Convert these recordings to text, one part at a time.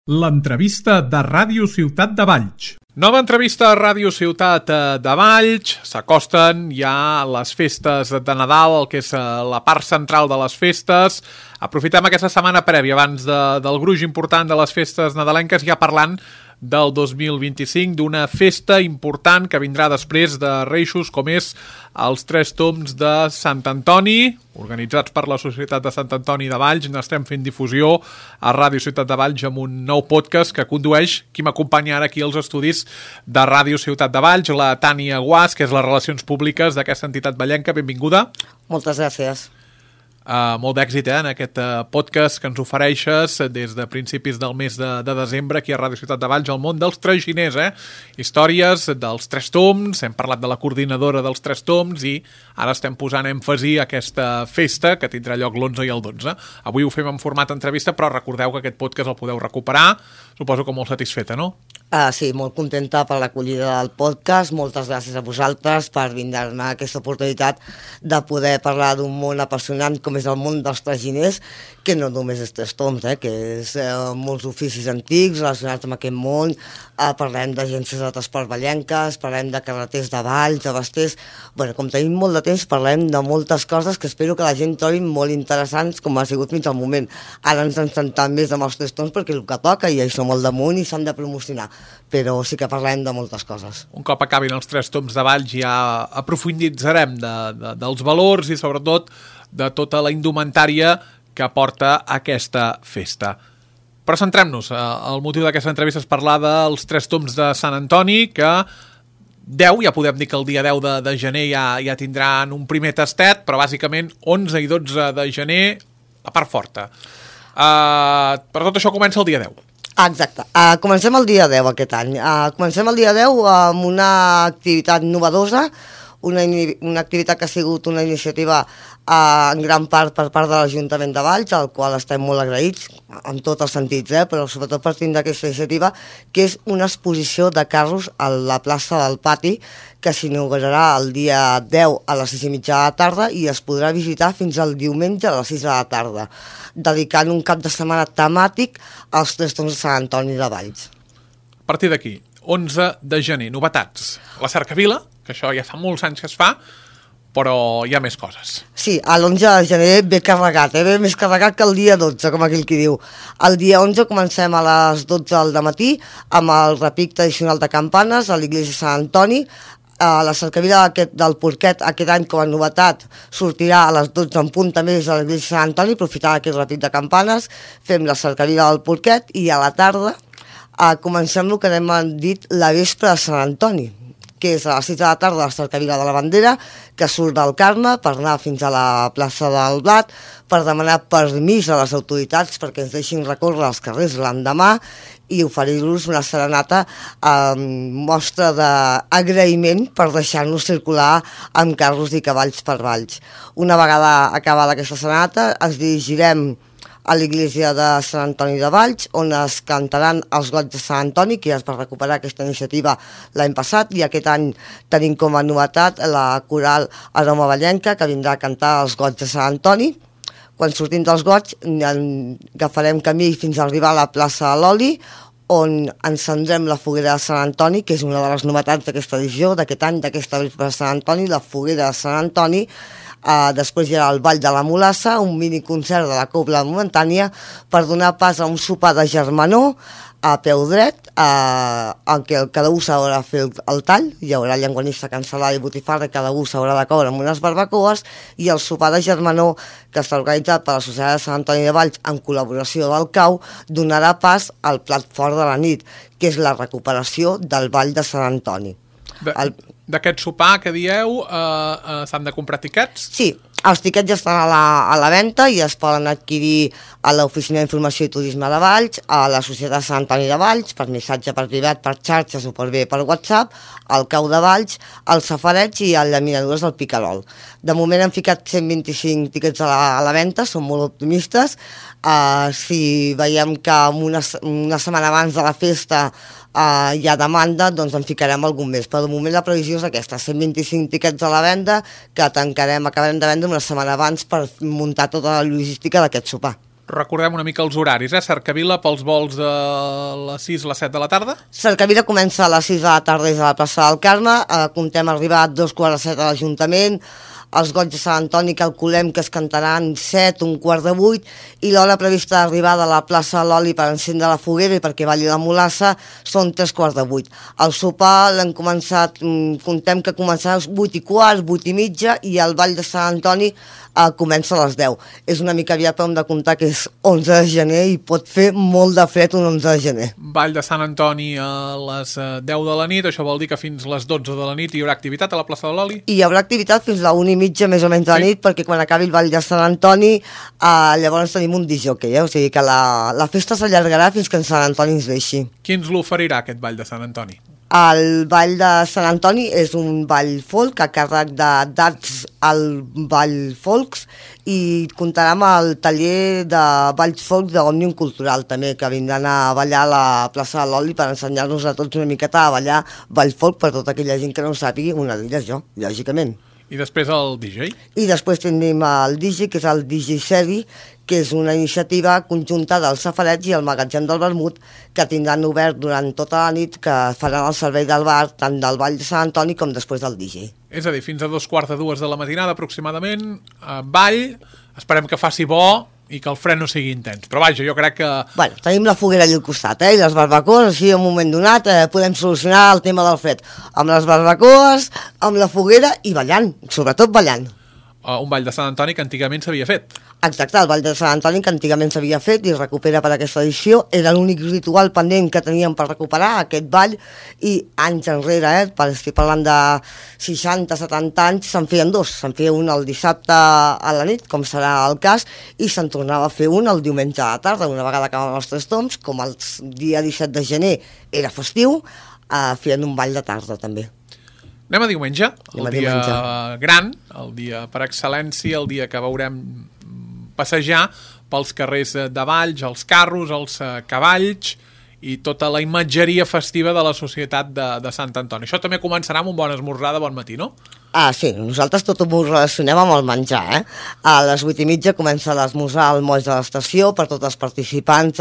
L'entrevista de Ràdio Ciutat de Valls. Nova entrevista a Ràdio Ciutat de Valls. S'acosten ja les festes de Nadal, el que és la part central de les festes. Aprofitem aquesta setmana prèvia, abans del gruix important de les festes nadalenques, ja parlant del 2025, d'una festa important que vindrà després de Reixos, com és els Tres Tombs de Sant Antoni, organitzats per la Societat de Sant Antoni de Valls. N'estem fent difusió a Ràdio Ciutat de Valls amb un nou podcast que condueix qui m'acompanya ara aquí als estudis de Ràdio Ciutat de Valls, la Tània Guas, que és les relacions públiques d'aquesta entitat vallenca. Benvinguda. Moltes gràcies. Molt d'èxit en aquest podcast que ens ofereixes des de principis del mes de desembre aquí a Ràdio Ciutat de Valls, el món dels traginers, històries dels Tres Tombs. Hem parlat de la coordinadora dels Tres Tombs i ara estem posant èmfasi a aquesta festa que tindrà lloc l'11 i el 12. Avui ho fem en format entrevista, però recordeu que aquest podcast el podeu recuperar, suposo que molt satisfeta, no? Sí, molt contenta per l'acollida del podcast. Moltes gràcies a vosaltres per brindar-me aquesta oportunitat de poder parlar d'un món apassionant com és el món dels traginers, que no només és Tres Tombs, que és molts oficis antics relacionats amb aquest món. Parlem d'agències de transport vallenques, parlem de carreters de Valls, de Basters. Com tenim molt de temps, parlem de moltes coses que espero que la gent trobi molt interessants, com ha sigut fins al moment. Ara ens en centrem més amb els Tres Tombs perquè és el que toca i això molt damunt i s'han de promocionar, però sí que parlem de moltes coses. Un cop acabin els Tres Tombs de Valls ja aprofunditzarem dels valors i sobretot de tota la indumentària que porta aquesta festa. Però centrem-nos. El motiu d'aquesta entrevista és parlar dels Tres Tombs de Sant Antoni, que 10, ja podem dir que el dia 10 de gener ja tindran un primer tastet, però bàsicament 11 i 12 de gener la part forta. Per tot això comença el dia 10. Exacte. Comencem el dia 10 aquest any. Comencem el dia 10 amb una activitat novedosa, una activitat que ha sigut una iniciativa en gran part per part de l'Ajuntament de Valls, al qual estem molt agraïts, en tots els sentits, però sobretot partint d'aquesta iniciativa, que és una exposició de carros a la plaça del Pati, que s'inaugurarà el dia 10 a les 6:30 de la tarda i es podrà visitar fins al diumenge a les 6 de la tarda, dedicant un cap de setmana temàtic als Tres Tombs de Sant Antoni de Valls. A partir d'aquí, 11 de gener, novetats. La cercavila, que això ja fa molts anys que es fa, però hi ha més coses. Sí, l'11 de gener ve carregat, ve més carregat que el dia 12, com aquell qui diu. El dia 11 comencem a les 12 del matí amb el repic tradicional de campanes a l'Iglésia de Sant Antoni. La cercavila del porquet aquest any com a novetat sortirà a les 12 en punt també des de l'Iglésia de Sant Antoni, aprofitant aquest repic de campanes, fem la cercavila del porquet i a la tarda comencem el que hem dit la vespra de Sant Antoni, que és a les 6 de la tarda la cercavila de la bandera, que surt del Carme per anar fins a la plaça del Blat, per demanar permís a les autoritats perquè ens deixin recórrer els carrers l'endemà i oferir-los una serenata mostra d'agraïment per deixar-nos circular amb carros i cavalls per Valls. Una vegada acabada aquesta serenata ens dirigirem a l'Iglésia de Sant Antoni de Valls, on es cantaran els goigs de Sant Antoni, que ja es va recuperar aquesta iniciativa l'any passat, i aquest any tenim com a novetat la coral Aroma Vallenca, que vindrà a cantar els goigs de Sant Antoni. Quan sortim dels goigs agafarem camí fins a arribar a la plaça de l'Oli, on encendrem la foguera de Sant Antoni, que és una de les novetats d'aquesta edició, d'aquest any, d'aquesta vespre de Sant Antoni, la foguera de Sant Antoni. Després hi ha el Ball de la Mulassa, un miniconcert de la Cobla Momentània per donar pas a un sopar de germanor a peu dret, en què cada un s'haurà de fer el tall, hi haurà llenguanissa, cansalada i botifarra, cada un s'haurà de coure amb unes barbacoes, i el sopar de germanor, que està organitzat per la Societat de Sant Antoni de Valls en col·laboració del CAU, donarà pas al plat fort de la nit, que és la recuperació del Ball de Sant Antoni. D'aquest sopar que dieu, s'han de comprar tiquets? Sí, els tiquets ja estan a la venda i es poden adquirir a l'Oficina d'Informació i Turisme de Valls, a la Societat de Sant Antoni de Valls, per missatge per privat, per xarxes o per WhatsApp, al Cau de Valls, al Safareig i a les Llaminadures del Picarol. De moment hem ficat 125 tiquets a la venda, som molt optimistes. Si veiem que una setmana abans de la festa hi ha demanda, doncs en ficarem algun més, però de moment la previsió és aquesta, 125 tiquets a la venda, que acabarem de vendre una setmana abans per muntar tota la logística d'aquest sopar. Recordem una mica els horaris, Cercavila pels vols de les 6 a les 7 de la tarda? Cercavila comença a les 6 de la tarda des de la plaça del Carme, comptem arribar a 2:45 a l'Ajuntament, els goig de Sant Antoni calculem que es cantaran 7, 7:45, i l'hora prevista d'arribada a la plaça de l'Oli per encendre la foguera i perquè balli la mulassa són 7:45. El sopar l'hem començat, comptem que començarà a les 8:15, 8:30, i el ball de Sant Antoni comença a les 10. És una mica aviat, però hem de comptar que és 11 de gener i pot fer molt de fred un 11 de gener. Ball de Sant Antoni a les 10 de la nit, això vol dir que fins les 12 de la nit hi haurà activitat a la plaça de l'Oli? I hi haurà activitat fins a la 1:30 més o menys de la nit, perquè quan acabi el ball de Sant Antoni llavors tenim un disjockey, o sigui que la festa s'allargarà fins que en Sant Antoni ens deixi. Qui ens l'oferirà, aquest ball de Sant Antoni? El ball de Sant Antoni és un ball folk a càrrec d'Arts al Ball Folks, i comptarà amb el taller de balls folk d'Òmnium Cultural també, que vindran a ballar a la plaça de l'Oli per ensenyar-nos a tots una miqueta a ballar ball folk per tota aquella gent que no ho sàpigui, una d'elles jo, lògicament. I després el DJ? I després tenim el DJ, que és el DJ Seri, que és una iniciativa conjunta dels safarets i el magatzem del vermut, que tindran obert durant tota la nit, que faran el servei del bar tant del ball de Sant Antoni com després del DJ. És a dir, fins a 2:45 de la matinada aproximadament, ball, esperem que faci bo i que el fred no sigui intens, però vaja, jo crec que... Bueno, tenim la foguera allà al costat, i les barbacoes, així en un moment donat podem solucionar el tema del fred, amb les barbacoes, amb la foguera i ballant, sobretot ballant. Un ball de Sant Antoni que antigament s'havia fet. Exacte, el ball de Sant Antoni que antigament s'havia fet i es recupera per aquesta edició. Era l'únic ritual pendent que teníem per recuperar aquest ball, i anys enrere, estic parlant de 60-70 anys, se'n feien dos. Se'n feia un el dissabte a la nit, com serà el cas, i se'n tornava a fer un el diumenge a la tarda, una vegada acabaven els 3 toms, com el dia 17 de gener era festiu, feien un ball de tarda també. Anem a diumenge, el dia gran, el dia per excel·lència, el dia que veurem passejar pels carrers de Valls, els carros, els cavalls i tota la imatgeria festiva de la societat de Sant Antoni. Això també començarà amb un bon esmorzar de bon matí, no? Sí, nosaltres tot ho relacionem amb el menjar, A les 8:30 comença l'esmorzar al moll de l'estació per tots els participants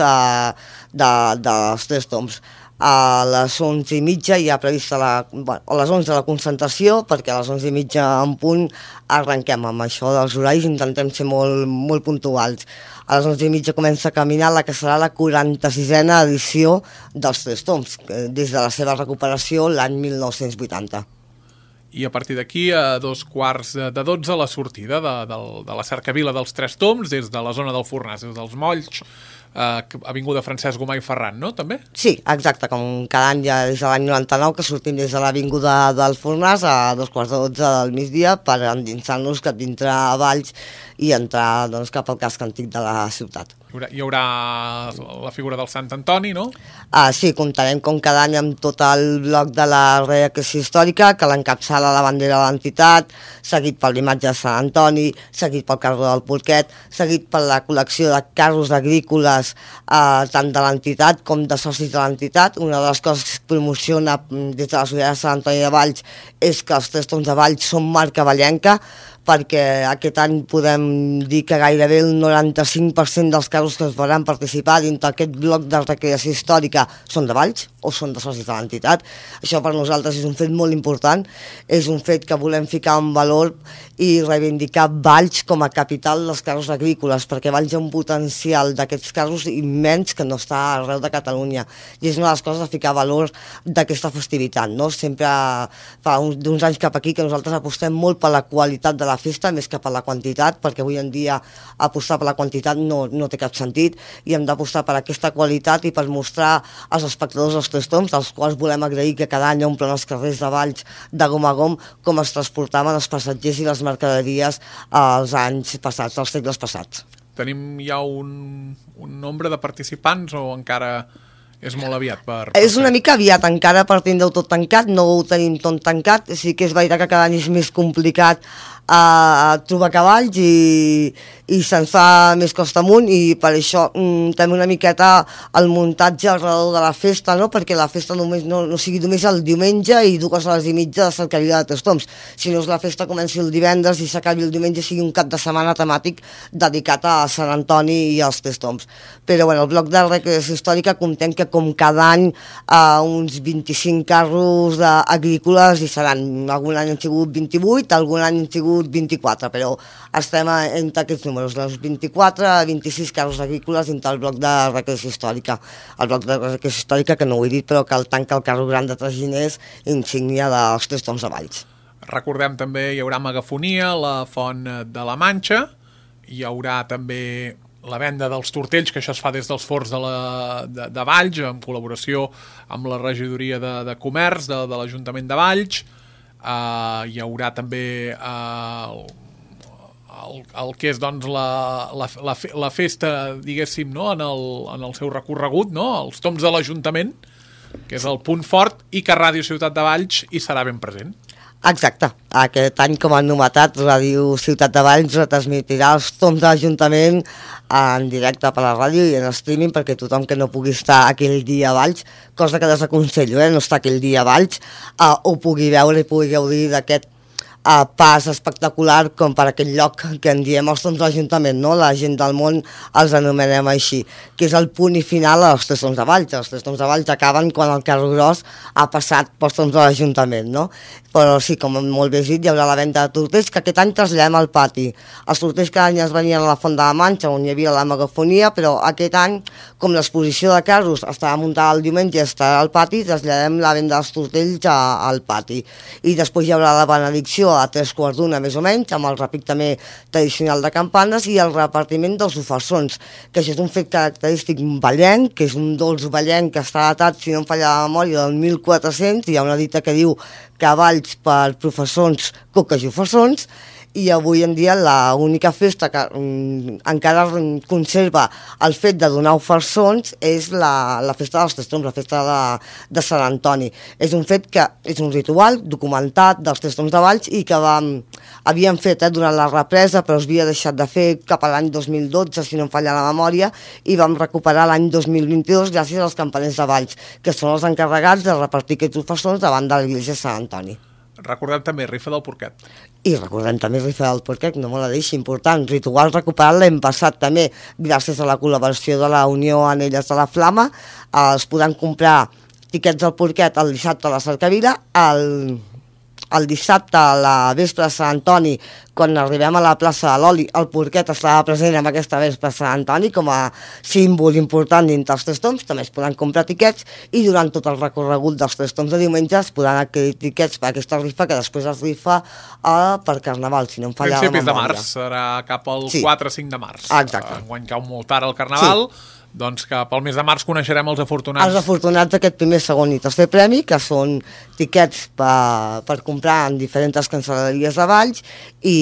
dels 3 toms. A les 11:30 hi ha prevista a les 11 la concentració, perquè a les 11:30 en punt arrenquem amb això dels horaris, intentem ser molt puntuals. A les 11:30 comença a caminar la que serà la 46a edició dels 3 toms, des de la seva recuperació l'any 1980. I a partir d'aquí, a 11:45 la sortida de la cercavila dels 3 toms, des de la zona del Fornàs, des dels Molls, avinguda Francesc Gomà i Ferran, no? També? Sí, exacte, com cada any ja des de l'any 99 que sortim des de l'avinguda del Fornàs a 2:15 del migdia per endinsar-nos cap dintre a Valls i entrar cap al casc antic de la ciutat. Hi haurà la figura del Sant Antoni, no? Sí, comptarem com cada any amb tot el bloc de la reacció històrica, que l'encapçala la bandera de l'entitat, seguit per l'imatge de Sant Antoni, seguit pel carro del Porquet, seguit per la col·lecció de carros agrícoles tant de l'entitat com de socis de l'entitat. Una de les coses que es promociona des de la Societat de Sant Antoni de Valls és que els 3 toms de Valls són marca vallenca, perquè aquest any podem dir que gairebé el 95% dels carros que es veuran participar dins d'aquest bloc de recreació històrica són de Valls o són de socis de l'entitat. Això per nosaltres és un fet molt important, és un fet que volem ficar en valor i reivindicar Valls com a capital dels carros agrícoles, perquè Valls ha un potencial d'aquests carros immens que no està arreu de Catalunya, i és una de les coses a ficar valor d'aquesta festivitat, no? Sempre fa d'uns anys cap aquí que nosaltres apostem molt per la qualitat de la festa més que per la quantitat, perquè avui en dia apostar per la quantitat no té cap sentit, i hem d'apostar per aquesta qualitat i per mostrar als espectadors els 3 toms, als quals volem agrair que cada any omplen els carrers de Valls de gom a gom, com es transportaven els passatgers i les mercaderies als anys passats, als segles passats. Tenim ja un nombre de participants o encara És molt aviat per És una mica aviat, encara per tindre-ho tot tancat, no ho tenim tot tancat, sí que és veritat que cada any és més complicat trobar cavalls i se'n fa més costa amunt, i per això també una miqueta el muntatge alrededor de la festa, no? Perquè la festa només no sigui només el diumenge i 2 hores i mitja de cercavila de Tres Tombs, sinó que la festa comenci el divendres i s'acabi el diumenge, sigui un cap de setmana temàtic dedicat a Sant Antoni i als Tres Tombs. Però bueno, el bloc de recreació històrica comptem que com cada any uns 25 carros agrícoles hi seran. Algun any han sigut 28, algun any han sigut 24, però estem entre aquests números, dels 24 a 26 carros agrícoles dintre el bloc de recreació històrica. El bloc de recreació històrica, que no ho he dit, però que el tanca el carro gran de traginers, insígnia dels Tres Tombs de Valls. Recordem també, hi haurà megafonia, la Font de la Manxa, hi haurà també la venda dels tortells, que això es fa des dels forts de Valls, en col·laboració amb la regidoria de comerç de l'Ajuntament de Valls. Hi haurà també el que és doncs la festa, diguéssim, no? en el seu recorregut, no? Els tombs de l'Ajuntament, que és el punt fort, i que Ràdio Ciutat de Valls hi serà ben present. Exacte. Aquest any, com a novetat, Ràdio Ciutat de Valls retransmitirà els tombs de l'Ajuntament en directe per la ràdio i en streaming, perquè tothom que no pugui estar aquell dia a Valls, cosa que desaconsello, no estar aquell dia a Valls, ho pugui veure i pugui gaudir d'aquest pas espectacular com per aquest lloc que en diem els tombs de l'Ajuntament, no? La gent del món els anomenem així, que és el punt i final als Tres Tombs de Valls. Els Tres Tombs de Valls acaben quan el carro gros ha passat pels tombs de l'Ajuntament, no? Però sí, com molt bé dit, hi haurà la venda de tortells, que aquest any traslladem al pati. Els tortells cada any es venien a la Font de la Manxa, on hi havia la megafonia, però aquest any, com l'exposició de carros estava muntada el diumenge i estarà al pati, traslladem la venda dels tortells al pati. I després hi haurà la benedicció a 3:15 més o menys, amb el repic també tradicional de campanes i el repartiment dels ofersons, que això és un fet característic vallenc, que és un dolç vallenc que està datat, si no em falla la memòria, del 1400, hi ha una dita que diu cavalls per professons, coques i ofersons, i avui en dia l'única festa que encara conserva el fet de donar ofersons és la festa dels Tres Tombs, la festa de Sant Antoni. És un fet que és un ritual documentat dels Tres Tombs de Valls i que havíem fet durant la represa, però es havia deixat de fer cap a l'any 2012, si no em falla la memòria, i vam recuperar l'any 2022 gràcies als campaners de Valls, que són els encarregats de repartir aquests ofersons davant de l'església de Sant Antoni. Recordem també rifa del porquet. I recordem també rifa del porquet, no me la deixi, important. Ritual recuperat l'hem passat també gràcies a la col·laboració de la Unió Anelles de la Flama. Es podran comprar tiquets del porquet el dissabte a la cercavila, el dissabte a la vespre de Sant Antoni, quan arribem a la plaça de l'Oli, el porquet estarà present en aquesta vespre de Sant Antoni com a símbol important dintre els Tres Tombs. També es podran comprar tiquets i durant tot el recorregut dels Tres Tombs de diumenge es podran adquirir tiquets per aquesta rifa, que després es rifa per Carnaval, si no em falla la memòria. Principis de març, serà cap al 4-5 de març. Exacte. Enguany cau molt tard el Carnaval, doncs cap al mes de març coneixerem els afortunats. Els afortunats d'aquest primer, segon i tercer premi, que són tiquets per comprar en diferents cancel·leries de Valls i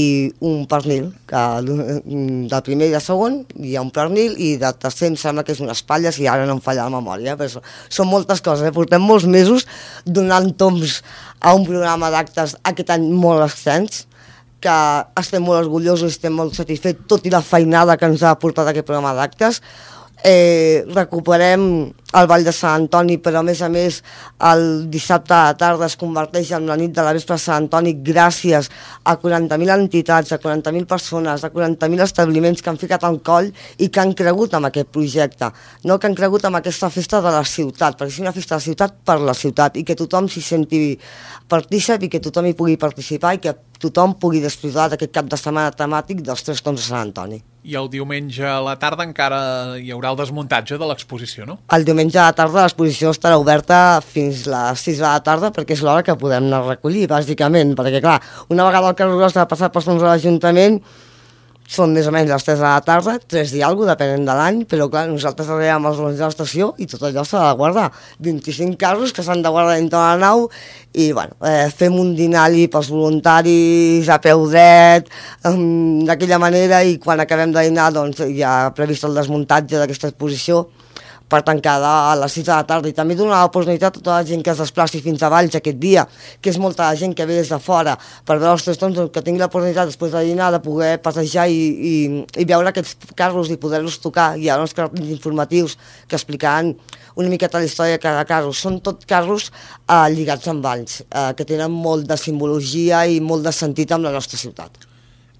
un pernil, que del primer i de segon hi ha un pernil i del tercer em sembla que és unes espatlles i ara no em falla la memòria, però són moltes coses, portem molts mesos donant tombs a un programa d'actes aquest any molt extens, que estem molt orgullosos, estem molt satisfets, tot i la feinada que ens ha portat aquest programa d'actes. Recuperem el Ball de Sant Antoni, però a més el dissabte a la tarda es converteix en la nit de la vespre de Sant Antoni gràcies a 40.000 entitats, a 40.000 persones, a 40.000 establiments que han ficat al coll i que han cregut en aquest projecte, no? Que han cregut en aquesta festa de la ciutat, perquè és una festa de la ciutat per la ciutat i que tothom s'hi senti partícip i que tothom hi pugui participar i que tothom pugui disfrutar d'aquest cap de setmana temàtic dels Tres Tombs de Sant Antoni. I el diumenge a la tarda encara hi haurà el desmuntatge de l'exposició, no? El diumenge a la tarda l'exposició estarà oberta fins a les 6 de la tarda perquè és l'hora que podem anar a recollir, bàsicament, perquè clar, una vegada el carro gros ha passat pels fons de l'Ajuntament, són més o menys les 3 de la tarda, 3 i alguna cosa, depenent de l'any, però clar, nosaltres arribem als 11 de l'estació i tot allò s'ha de guardar. 25 carros que s'han de guardar dintre de la nau i bueno, fem un dinari pels voluntaris a peu dret, d'aquella manera, i quan acabem de dinar doncs, ja ha previst el desmuntatge d'aquesta exposició per tancar a les 6 de la tarda, i també donar l'oportunitat a tota la gent que es desplaci fins a Valls aquest dia, que és molta la gent que ve des de fora per veure els 3 toms, que tingui l'oportunitat després de dinar de poder passejar i veure aquests carros i poder-los tocar. Hi ha uns carros informatius que explicaran una miqueta la història de cada carro. Són tot carros lligats amb Valls, que tenen molt de simbologia i molt de sentit amb la nostra ciutat.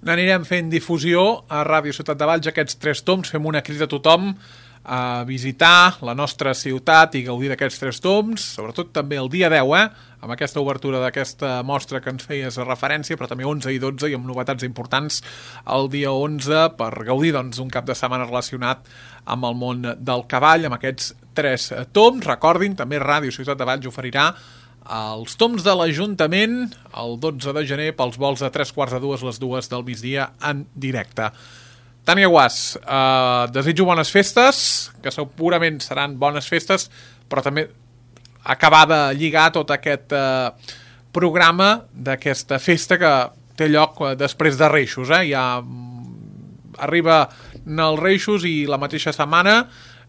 N'anirem fent difusió a Ràdio Ciutat de Valls aquests 3 toms, fem una crida a tothom a visitar la nostra ciutat i gaudir d'aquests 3 toms, sobretot també el dia 10, amb aquesta obertura d'aquesta mostra que ens feies referència, però també 11 i 12 i amb novetats importants el dia 11 per gaudir d'un cap de setmana relacionat amb el món del cavall, amb aquests 3 toms. Recordin, també Ràdio Ciutat de Valls oferirà els toms de l'Ajuntament el 12 de gener pels vols de 3:45 a les 2 del migdia en directe. Tània Guàs, desitjo bones festes, que segurament seran bones festes, però també acabar de lligar tot aquest programa d'aquesta festa que té lloc després de Reixos. Ja arriba els Reixos i la mateixa setmana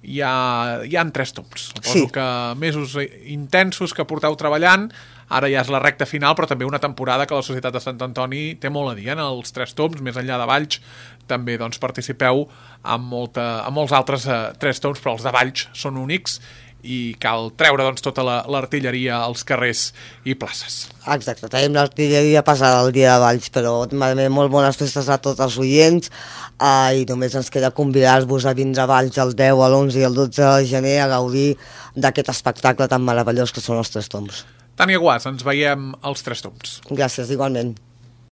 hi ha 3 toms. Suposo que mesos intensos que porteu treballant, ara ja és la recta final, però també una temporada que la Societat de Sant Antoni té molt a dir en els 3 toms, més enllà de Valls, també participeu amb molts altres 3 toms, però els de Valls són únics i cal treure tota l'artilleria als carrers i places. Exacte, tenim l'artilleria passada el dia de Valls, però molt bones festes a tots els oients i només ens queda convidar-vos a vindre a Valls el 10, l'11 i el 12 de gener a gaudir d'aquest espectacle tan meravellós que són els 3 toms. Tània Guàs, ens veiem als 3 toms. Gràcies, igualment.